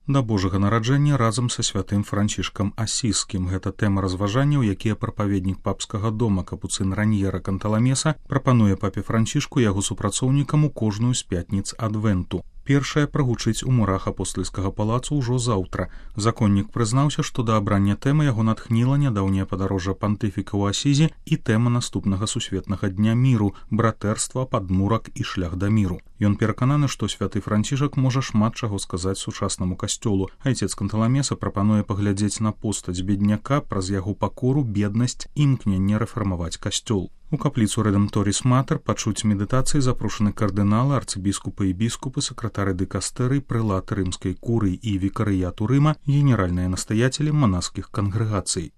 Да Божага нараджэння разам са святым Францішкам Асіскім. Гэта тэма разважанняў, якія прапаведнік папскага дома капуцын Раньера Канталамеса прапануе папе Францішку яго супрацоўнікам у кожную з пятніц адвенту. Першае прагучыць у мурах апостальскага палацу ўжо заўтра. Законнік прызнаўся, што да абрання тэмы яго натхніла нядаўняе падарожжа пантыфіка ў Асізі і тэма наступнага сусветнага дня міру, братэрства, падмурак і шлях да міру. Ён перакананы, што святы Францішак можа шмат чаго сказаць сучаснаму касцёлу. Айцец Канталамеса прапануе паглядзець на постаць бедняка праз яго пакору, беднасць і імкненне рэфармаваць касцёл. У капліцу Рэдэмторіс Матэр пачуць медытацыі запрошаны кардыналы, арцыбіскупы і біскупы, сакратары дыкастэрый, прэлаты рымскай курыі і вікарыяту Рыма, генеральныя настаятелі манаскіх кангрэгацый.